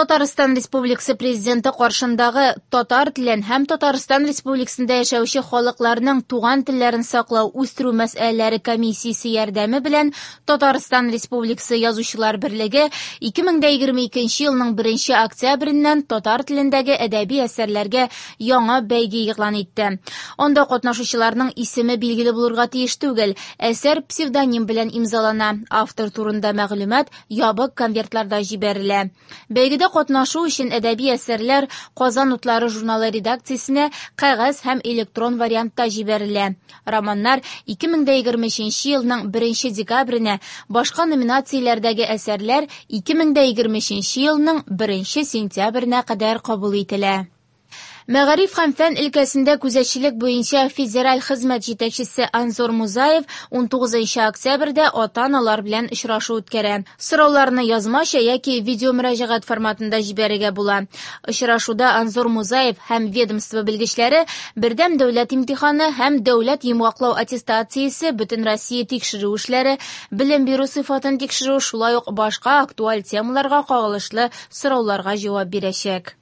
Татарстан Республикасы Президенты каршындагы татар телен һәм Татарстан Республикасында яшәүче халыкларның туган телләрен саклау, үстерү мәсьәләләре комиссиясе ярдәме белән Татарстан Республикасы Язучылар берлеге 2022 елның 1 октябреннән татар телендәге әдәби әсәрләргә яңа бәйге игълан итте. Анда катнашучыларның исеме билгеле булырга тиеш түгел. Әсәр псевдоним белән имзалана. Автор турында мәгълүмат ябык конвертларда җибәрелә. Бәйгедә катнашу өчен әдәби әсәрләр Казан утлары журналы редакциясенә кәгазь һәм электрон вариантта җибәрелә. Романнар 2023 елның 1 декабренә, башка номинацияләрдәге әсәрләр 2023 елның 1 сентябренә кадәр кабул ителә. Мәгариф һәм фән өлкәсендә күзәтчелек буенча федераль хезмәт җитәкчесе Анзор Музаев 19 октябрьдә ата-аналар белән очрашу үткәрә. Сорауларны язмача яки видеомөрәҗәгать форматында җибәрергә була. Очрашуда Анзор Музаев һәм ведомство белгечләре бердәм дәүләт имтиханы һәм дәүләт йомгаклау аттестациясе, бөтенроссия тикшерү эшләре, белем бирү сыйфатын тикшерү, шулай ук башка актуаль темаларга кагылышлы сорауларга җавап бирәчәк.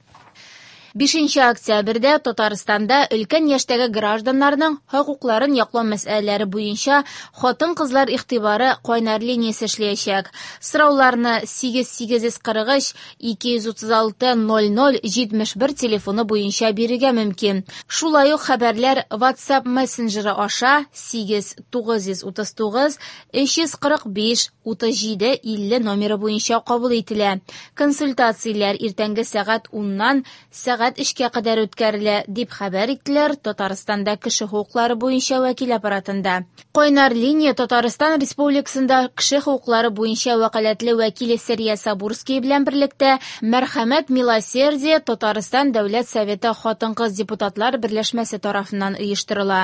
5 октябрьдә Татарстанда өлкән яшьтәге гражданнарның хокукларын яклау мәсьәләләре буенча хатын-кызлар игътибары кайнар линиясе эшләячәк. Сорауларны 8843 236 00 71 телефоны буенча бирергә мөмкин. Шулай ук хәбәрләр WhatsApp мессенджеры аша 8 939 345 37 50 номеры буенча кабул ителә. Консультацияләр иртәнге сәгать 10-нан сәгать 3-кә кадәр үткәрелә, дип хәбәр иттеләр Татарстанда кеше хокуклары буенча вәкил аппаратында. Кайнар линия Татарстан Республикасында кеше хокуклары буенча вәкаләтле вәкиле Сәрия Сабурский белән берлектә Мәрхәмәт Милосердие Татарстан Дәүләт Советы хатын-кыз депутатлар берләшмәсе тарафыннан оештырыла.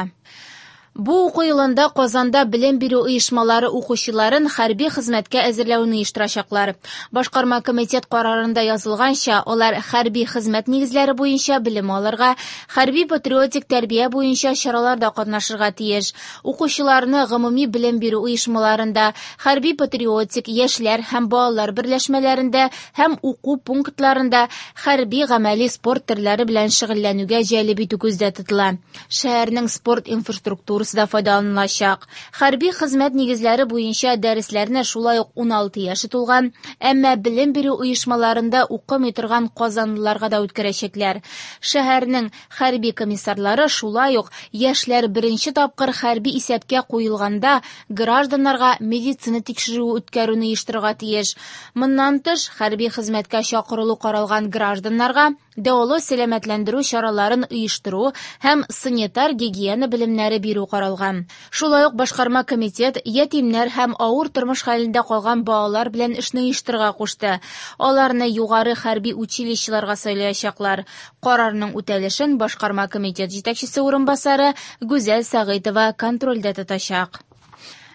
Бу уку елында Казанда белем бирү оешмалары укучыларын хәрби хезмәткә әзерләүне оештырачаклар. Башкарма комитет карарында язылганча, алар хәрби хезмәт нигезләре буенча белем алырга, хәрби патриотик тәрбия буенча чараларда катнашырга тиеш. Укучыларны гомуми белем бирү оешмаларында, хәрби патриотик яшьләр һәм балалар берләшмәләрендә һәм уку пунктларында хәрби гамәли спорт төрләре белән шөгыльләнүгә җәлеп итү күздә тотыла. Шәһәрнең спорт инфраструктурасы да файдаланылачак. Хәрби хезмәт нигезләре буенча дәресләрне шулай ук 16 яше тулган, әмма белем бирү оешмаларында укымый торган казанлыларга да үткәрәчәкләр. Шәһәрнең хәрби комиссарлары шулай ук яшьләр беренче тапкыр хәрби исәпкә куелганда гражданнарга медицина тикшерүе үткәрүне оештырырга тиеш. Моннан тыш, хәрби хезмәткә чакырылу каралган гражданнарга дәвалау сәламәтләндерү чараларын оештыру һәм санитар гигиена белемнәре бирү каралган. Шулай ук башкарма комитет ятимнәр һәм авыр тормыш хәлендә калган балалар белән эшне оештырырга кушты. Аларны югары хәрби училищеларга сайлаячаклар. Карарның үтәлешен башкарма комитет җитәкчесе урынбасары Гүзәл Сәгыйтова контрольдә тотачак.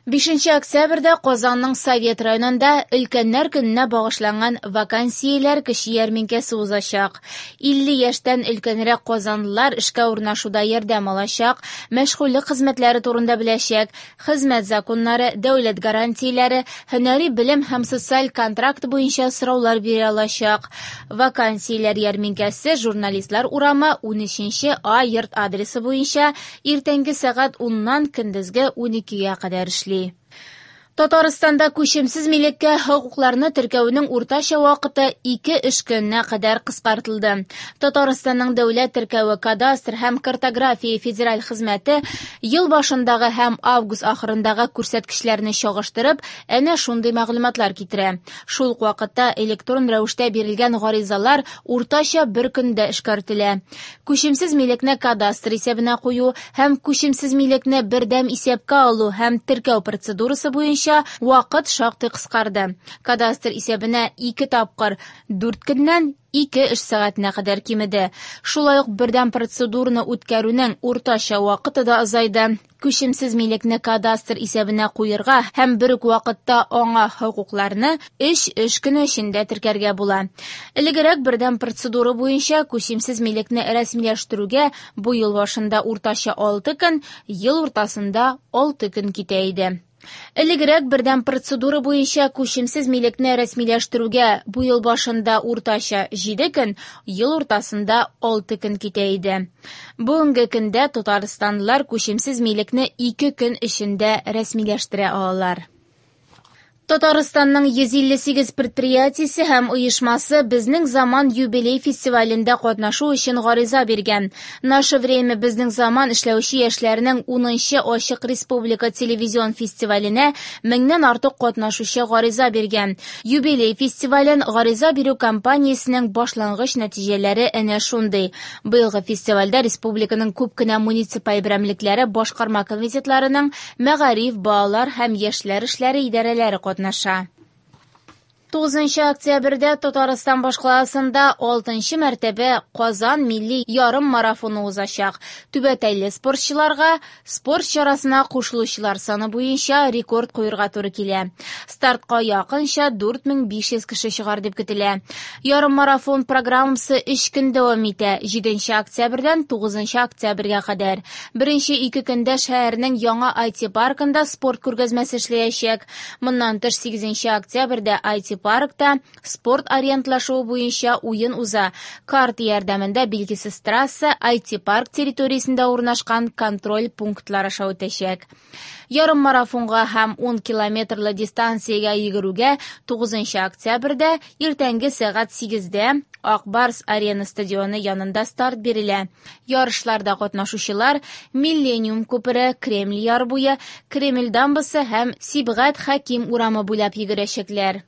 5 октябрьдә Казанның Совет районында өлкәннәр көненә багышланган вакансияләр кече ярминкәсе узачак. 50 яшьтән өлкәнрәк казанлылар эшкә урнашуда ярдәм алачак, мәшгульлек хезмәтләре турында беләчәк, хезмәт законнары, дәүләт гарантияләре, һөнәри белем һәм социаль контракт буенча сораулар бирә алачак. Вакансияләр ярминкәсе Журналистлар урамы 13 А йорт адресы буенча иртәнге сәгать 10-нан көндезге 12-гә кадәр эшли. Татарстанда күчемсез милеккә хокукларны теркәүнең уртача вакыты 2 эш көненә кадәр кыскартылды. Татарстанның дәүләт теркәве кадастр һәм картография федераль хезмәте ел башындагы һәм август ахырындагы күрсәткечләрне чагыштырып, әнә шундый мәгълүматлар китерә. Шул ук вакытта электрон рәвештә бирелгән гаризалар уртача бер көндә эшкәртелә. Күчемсез милекне кадастр исәбенә кую һәм күчемсез милекне бердәм исәпкә алу һәм теркәү процедурасы буенча вакыт шактый кыскарды. Кадастр исәбенә 2 тапкыр 4 көннән 2 эш сәгатенә кадәр кимеде. Шулай ук бердәм процедураны үткәрүнең уртача вакыты да азайды. Күчемсез милекне кадастр исәбенә куерга һәм бер үк вакытта аңа хокукларны 3 эш көне эчендә теркәргә була. Элегрәк бердәм процедура буенча күчемсез милекне рәсмиләштерүгә бу ел башында уртача 6 көн, ел уртасында 6 көн китә иде. Элегрәк бердәм процедура буенча күчемсез милекне рәсмиләштерүгә бу ел башында уртача 7 көн, ел уртасында 6 көн китә иде. Бүгенге көндә татарстанлылар күчемсез милекне 2 көн эчендә рәсмиләштерә алалар. Татарстанның 158 предприятиесе һәм оешмасы «Безнең заман» юбилей фестивалендә катнашу өчен гариза биргән. «Наше время» Безнең заман эшләүче яшьләрнең 10нчы ачык республика телевизион фестиваленә меңнән артык катнашучы гариза биргән. Юбилей фестивален гариза бирү кампаниясенең башлангыч нәтиҗәләре әнә шундый. Быелгы фестивальдә республиканың күп кенә муниципаль берәмлекләре башкарма комитетларының мәгариф, балалар һәм яшьләр эшләре идарәләре катнаша. 9 октябрьдә Татарстан башкаласында 6нчы мәртәбә Казан милли ярыммарафоны узачак. Түбәтәйле спортчыларга спорт чарасына кушылучылар саны буенча рекорд куярга туры килә. Стартка якынча 4500 кеше чыгар дип көтелә. Ярыммарафон программасы 3 көн дәвам итә, 7 октябрьдән 9 октябрьгә кадәр. Беренче ике көндә шәһәрнең яңа IT-паркында спорт күргәзмәсе эшләячәк. Моннан тыш 8 октябрьдә IT-паркта спорт ориентлашуы буенча уен уза. Карта ярдәмендә билгесез трасса IT-парк территориясендә урнашкан контроль пунктлар аша үтәчәк. Ярыммарафонга һәм 10 километрлы дистанциягә йөгерүгә 9 октябрьдә иртәнге сәгать 8дә Ак Барс Арена стадионы янында старт бирелә. Ярышларда катнашучылар Миллениум күпере, Кремль яр буе, Кремль дамбасы һәм Сибгат Хәким урамы буйлап йөгерәчәкләр.